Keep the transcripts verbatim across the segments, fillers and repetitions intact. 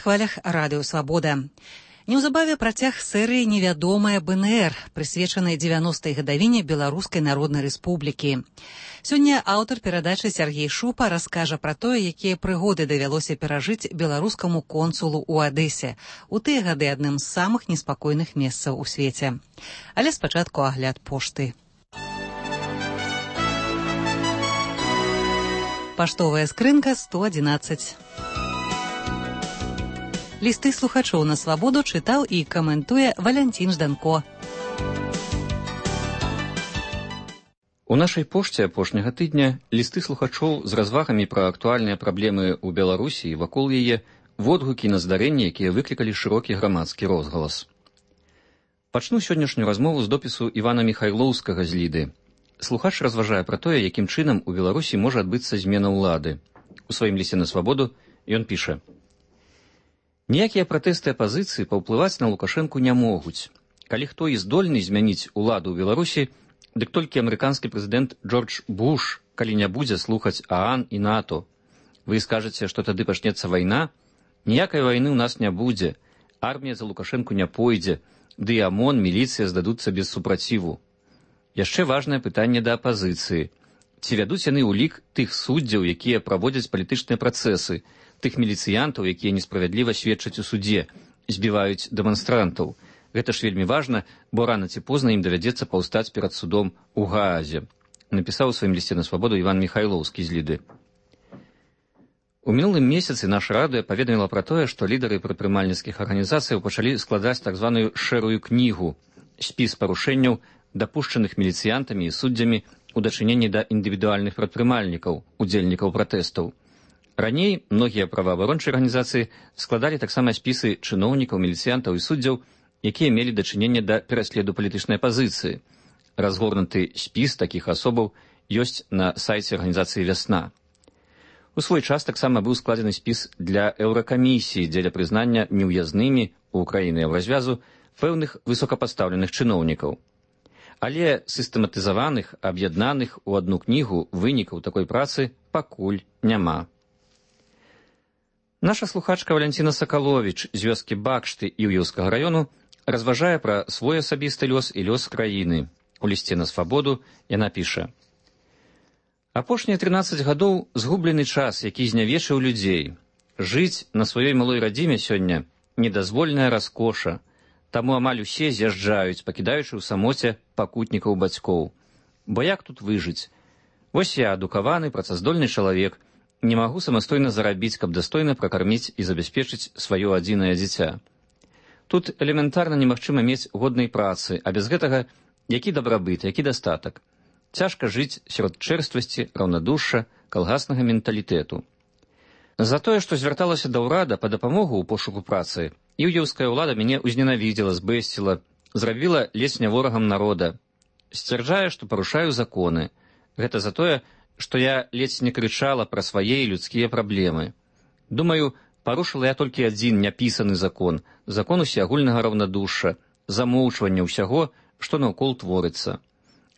хвалях радыё «Свабода». Неўзабаве працяг серыі «Невядомая БНР», прысвечанай дзевяностай гадавіне Беларускай Народнай Рэспублікі. Сёння аўтар перадачы Сяргей Шупа раскажа пра тое, якія прыгоды давялося перажыць беларускаму консулу ў Адэсе, у тыя гады адным з самых неспакойных месцаў у свеце. Але спачатку агляд пошты. Паштовая скрынка сто адзінаццаць. Лісты слухачоў на свабоду чытаў і каментуе Валянцін Жданко. У нашай пошце апошняга тыдня лісты слухачоў з развагамі пра актуальныя праблемы ў Беларусі і вакол яе, водгукі на здарэнні, якія выклікалі шырокі грамадскі розгалас. Пачну сённяшнюю размову з допісу Івана Міхайлоўскага з Ліды. Слухач разважае пра тое, якім чынам у Беларусі можа адбыцца змена ўлады. У сваім лісце на свабоду ён піша: «Ніякія пратэсты апазіцыі паўплываць на Лукашэнку не могуць. Калі хто і здольны змяніць уладу ў Беларусі, дык толькі амерыканскі прэзідэнт Джордж Буш, калі не будзе слухаць ААН і НАТО. Вы скажаце, што тады пачнецца вайна? Ніякай вайны ў нас не будзе. Армія за Лукашэнку не пойдзе, ды і ОМОН, міліцыя здадуцца без супраціву. Яшчэ важнае пытанне да апазіцыі. Ці вядуць яны ўлік тых суддзяў, якія праводзяць палітычныя працэсы, тых міліцыянтаў, якія несправядліва сведчаць у судзе, збіваюць дэманстрантаў. Гэта ж вельмі важна, бо рана ці позна ім давядзецца паўстаць перад судом у Гаазе», напісаў у сваім лісце на свабоду Іван Міхайлоўскі з Ліды. У мінулым месяцы наша радыё паведаміла пра тое, што лідары прадпрымальніцкіх арганізацыяў пачалі складаць так званую шэрую кнігу, спіс парушэнняў, дапушчаных міліцыянтамі і суддзямі у дачыненні да індывідуальных прадпрымальнікаў, удзельнікаў пратэстаў. Раней многія праваабарончыя арганізацыі складалі таксама спісы чыноўнікаў, міліцыянтаў і суддзяў, якія мелі дачыненне да пераследу палітычнай апазіцыі. Разгорнуты спіс такіх асобаў ёсць на сайце арганізацыі «Вясна». У свой час таксама быў складзены спіс для еўракамісіі дзеля прызнання неўязнымі ў краіны еўразвязу пэўных высокапастаўленых чыноўнікаў. Але сістэматызаваных, аб'яднаных у адну кнігу вынікаў такой працы пакуль няма. Наша слухачка Валянціна Сакаловіч з вёскі Бакшты Іўеўскага раёну разважае пра свой асабісты лёс і лёс краіны. У лісце на свабоду яна піша: «Апошнія трынаццаць гадоў згублены час, які знявечыў людзей. Жыць на сваёй малой радзіме сёння недазвольная раскоша, таму амаль усе з'язджаюць, пакідаючы ў самоце пакутнікаў бацькоў. Бо як тут выжыць? Вось я, адукаваны, працаздольны чалавек, не магу самастойна зарабіць, каб дастойна пракарміць і забяспечыць сваё адзінае дзіця. Тут элементарна немагчыма мець годнай працы, а без гэтага які дабрабыт, які дастатак. Цяжка жыць сярод чэрствасці, раўнадушша, калгаснага менталітэту. За тое, што звярталася да ўрада па дапамогу ў пошуку працы, іўеўская ўлада мяне ўзненавідзела, збэсціла, зрабіла ледзь не ворагам народа. Сцвярджае, што парушаю законы. Гэта за тое, што я ледзь не крычала пра свае людскія праблемы. Думаю, парушыла я толькі адзін няпісаны закон, закон усеагульнага раўнадушша, замоўчвання ўсяго, што наўкол творыцца.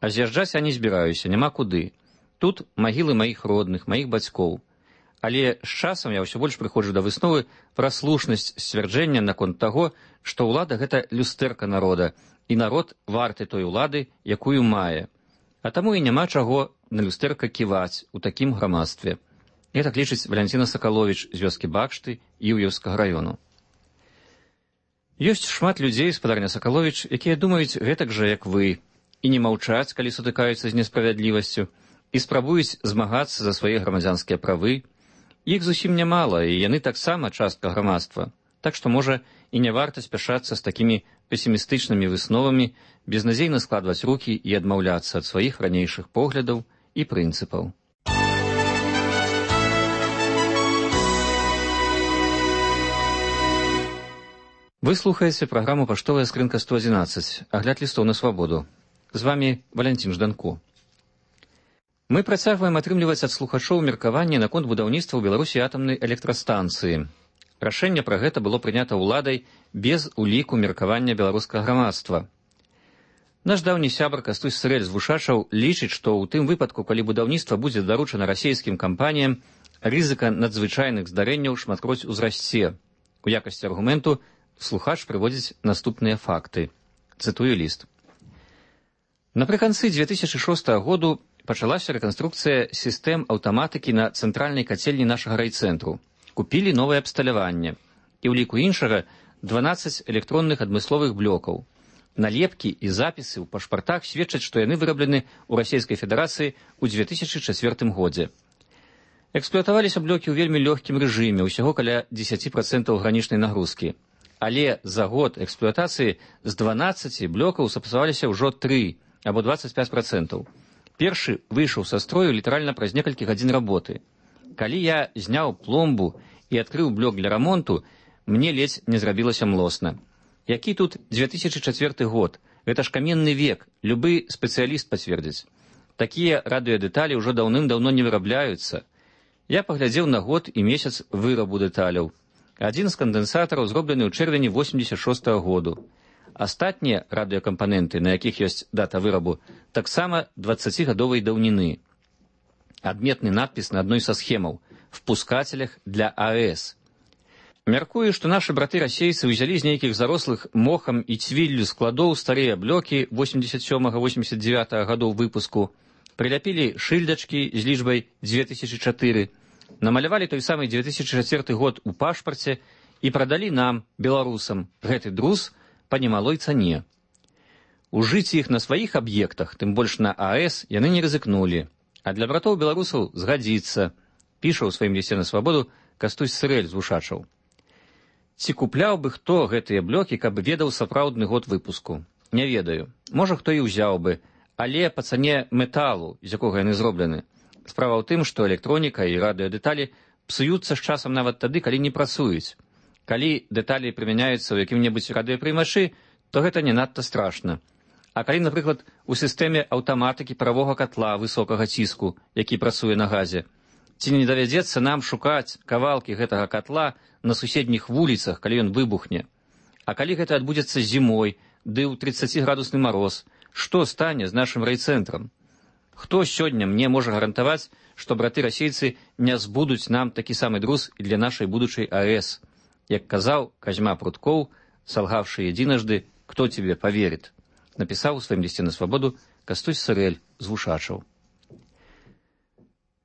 А з'язджаць я не збіраюся, няма куды. Тут магілы маіх родных, маіх бацькоў. Але з часам я ўсё больш прыходжу да высновы пра слушнасць сцвярджэння наконт таго, што ўлада — гэта люстэрка народа, і народ варты той улады, якую мае. А таму і няма чаго на люстэрка ківаць у такім грамадстве». Гэтак лічыць Валянціна Сакаловіч з вёскі Бакшты Іўеўскага раёну. Ёсць шмат людзей, спадарня Сакаловіч, якія думаюць гэтак жа, як вы, і не маўчаць, калі сутыкаюцца з несправядлівасцю, і спрабуюць змагацца за свае грамадзянскія правы. Іх зусім нямала, і яны таксама частка грамадства. Так што, можа, і не варта спяшацца з такімі песімістычнымі высновамі, безнадзейна складваць рукі і адмаўляцца ад сваіх ранейшых поглядаў і прынцыпаў. Вы слухаеце праграму «Паштовая скрынка сто адзінаццаць», агляд лістоў на свабоду. З вамі Валянцін Жданко. Мы працягваем атрымліваць ад слухачоў меркаванне наконт будаўніцтва ў Беларусі атамнай электрастанцыі. Рашэнне пра гэта было прынята ўладай без уліку меркавання беларускага грамадства. Наш даўні сябар Кастусь Сырэль з Вушачаў лічыць, што ў тым выпадку, калі будаўніцтва будзе даручана расійскім кампаніям, рызыка надзвычайных здарэнняў шматкроць узрасце. У якасці аргументу слухач прыводзіць наступныя факты. Цытую ліст. Напрыканцы дзве тысячы шостага году пачалася рэканструкцыя сістэм аўтаматыкі на цэнтральнай кацельні нашага райцэнтру. Купілі новае абсталяванне. І ў ліку іншага дванаццаць электронных адмысловых блокаў. Налепкі і запісы ў пашпартах сведчаць, што яны выраблены ў Расійскай Федэрацыі ў дзве тысячы чацвёртым годзе. Эксплуатаваліся блокі ў вельмі лёгкім рэжыме, усяго каля дзесяць працэнтаў гранічнай нагрузкі. Але за год эксплуатацыі з дванаццаці блокаў сапсаваліся ўжо тры, або дваццаць пяць працэнтаў. Першы выйшаў са строю літаральна праз некалькі гадзін работы. Калі я зняў пломбу і адкрыў блок для рамонту, мне ледзь не зрабілася млосна. Які тут дзве тысячы чацвёрты год? Гэта ж каменны век, любы спецыяліст пацвердзіць. Такія радыёдэталі ўжо даўным-даўно не вырабляюцца. Я паглядзеў на год і месяц вырабу дэталяў. Адзін з кандэнсатараў зроблены ў чэрвені восемьдесят шостага году. Астатнія радыёкампаненты, на якіх ёсць дата вырабу, таксама дваццацігадовай даўніны. Адметны надпіс на адной са схемаў «Впускателях для АЭС». Мяркую, што нашы браты-расейцы ўзялі з нейкіх зарослых мохам і цвіллю складоў старыя блокі восемьдесят сёмага восемьдесят дзевятага гадоў выпуску, прыляпілі шыльдачкі з лічбай дзве тысячы чатыры, намалявалі той самы дзве тысячы чацвёрты год у пашпарце і прадалі нам, беларусам, гэты друз па немалой цане. Ужыць іх на сваіх аб'ектах, тым больш на АЭС, яны не рызыкнулі, а для братоў-беларусаў згадзіцца, піша ў сваім лісце на свабоду Кастусь Сырэль з Вушачаў. Ці купляў бы хто гэтыя блокі, каб ведаў сапраўдны год выпуску? Не ведаю. Можа, хто і ўзяў бы, але па цане металу, з якога яны зроблены. Справа ў тым, што электроніка і радыёдэталі псуюцца з часам нават тады, калі не працуюць. Калі дэталі прымяняюцца ў якім-небудзь радыёпрымачы, то гэта не надта страшна. А калі, напрыклад, у сістэме аўтаматыкі паравога катла высокага ціску, які працуе на газе, ці не давядзецца нам шукаць кавалкі гэтага катла на суседніх вуліцах, калі ён выбухне? А калі гэта адбудзецца зімой, ды ў трыццаціградусны мароз, што стане з нашым райцэнтрам? Хто сёння мне можа гарантаваць, што браты-расейцы не збудуць нам такі самы друз і для нашай будучай АЭС? Як казаў Казьма Пруткоў, салгавшы едзінажды, «Кто тебе поверит?» напісаў у сваім лісце на свабоду Кастусь Сырэль з Вушачаў.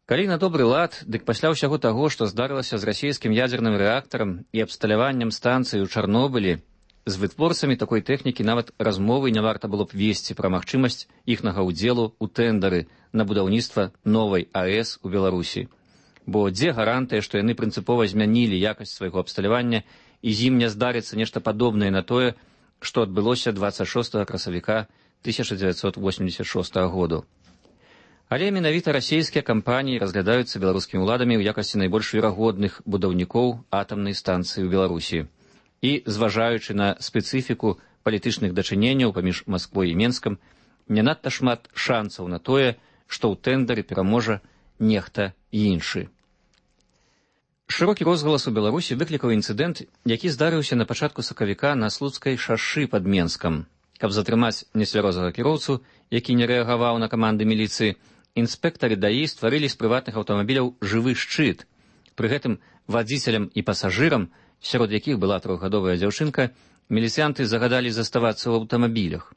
Калі на добры лад, дык пасля ўсяго таго, што здарылася з расійскім ядзерным рэактарам і абсталяваннем станцыі ў Чарнобылі, з вытворцамі такой тэхнікі нават размовы не варта было б весці пра магчымасць іхнага ўдзелу ў тэндары на будаўніцтва новай АЭС у Беларусі. Бо дзе гарантыя, што яны прынцыпова змянілі якасць свайго абсталявання і з ім не здарыцца нешта падобнае на тое, што адбылося дваццаць шостага красавіка тысяча дзевяцьсот восемьдесят шостага году. Але менавіта расійскія кампаніі разглядаюцца беларускімі ўладамі ў якасці найбольш верагодных будаўнікоў атамнай станцыі ў Беларусі. І, зважаючы на спецыфіку палітычных дачыненняў паміж Масквой і Менскам, не надта шмат шанцаў на тое, што ў тэндары пераможа нехта іншы. Шырокі розгалас у Беларусі выклікаў інцыдэнт, які здарыўся на пачатку сакавіка на Слуцкай шашы пад Менскам. Каб затрымаць нецвярозага кіроўцу, які не рэагаваў на каманды міліцыі, інспектары даі стварылі з прыватных аўтамабіляў жывы шчыт. Пры гэтым вадзіцелям і пасажырам, сярод якіх была трохгадовая дзяўчынка, міліцыянты загадалі заставацца ў аўтамабілях.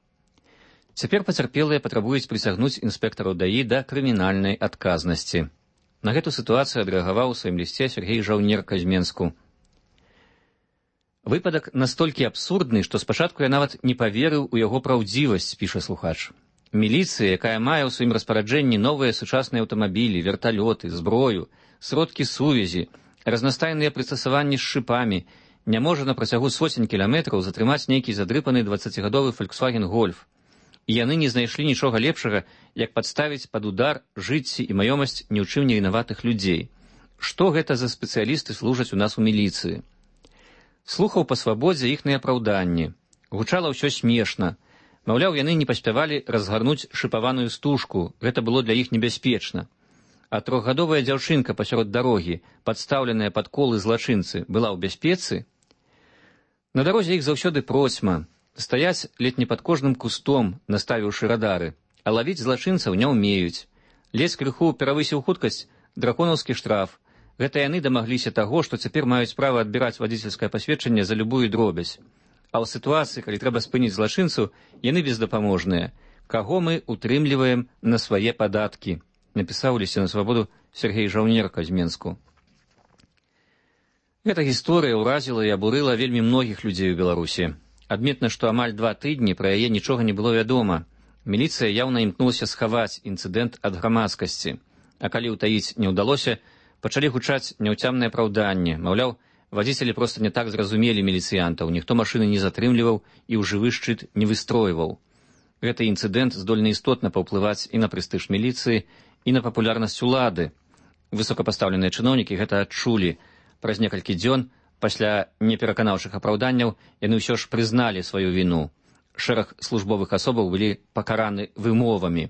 Цяпер пацярпелыя патрабуюць прысягнуць інспектараў даі да крымінальнай адказнасці. На гэту сітуацыю адрэагаваў у сваім лісце Сергей Жаўнерка з Менску. Выпадак настолькі абсурдны, што спачатку я нават не паверыў у яго праўдзівасць, піша слухач. Міліцыя, якая мае ў сваім распараджэнні новыя сучасныя аўтамабілі, верталёты, зброю, сродкі сувязі, разнастайныя прыстасаванні з шыпамі, не можа на працягу соцень кіламетраў затрымаць нейкі задрыпаны дваццацігадовы Volkswagen Golf. І яны не знайшлі нічога лепшага, як падставіць пад удар жыцці і маёмасць ні ў чым не вінаватых людзей. Што гэта за спецыялісты служаць у нас у міліцыі? Слухаў па свабодзе іхныя апраўданні. Гучала ўсё смешна. Маўляў, яны не паспявалі разгарнуць шыпаваную стужку, гэта было для іх небяспечна. А трохгадовая дзяўчынка пасярод дарогі, падстаўленая пад колы злачынцы, была ў бяспецы? На дарозе іх заўсёды процьма. Стаяць ледь не пад кожным кустом, наставіўшы радары, а лавіць злачынцаў не ўмеюць. Ледзь крыху перавысіў хуткасць, драконаўскі штраф. Гэта яны дамагліся таго, што цяпер маюць права адбіраць вадзіцельскае пасведчанне за любую дробязь. А ў сітуацыі, калі трэба спыніць злачынцу, яны бездапаможныя. Каго мы утрымліваем на свае падаткі, напісаў у лісце на свабоду Сергей Жаўнерка з Менску. Гэта гісторыя ўразіла і абурыла вельмі многіх людзей у Беларусі. Адметна, што амаль два тыдні пра яе нічога не было вядома. Міліцыя яўна імкнулася схаваць інцыдэнт ад грамадскасці. А калі ўтаіць не ўдалося, пачалі гучаць няўцямныя апраўданні. Маўляў, вадзіцелі проста не так зразумелі міліцыянтаў, ніхто машыны не затрымліваў і ў жывы шчыт не выстройваў. Гэты інцыдэнт здольны істотна паўплываць і на прэстыж міліцыі, і на папулярнасць улады. Высокапастаўленыя чыноўнікі гэта адчулі. Праз некалькі дзён, пасля непераканаўчых апраўданняў, яны ўсё ж прызналі сваю віну. Шэраг службовых асобаў былі пакараны вымовамі.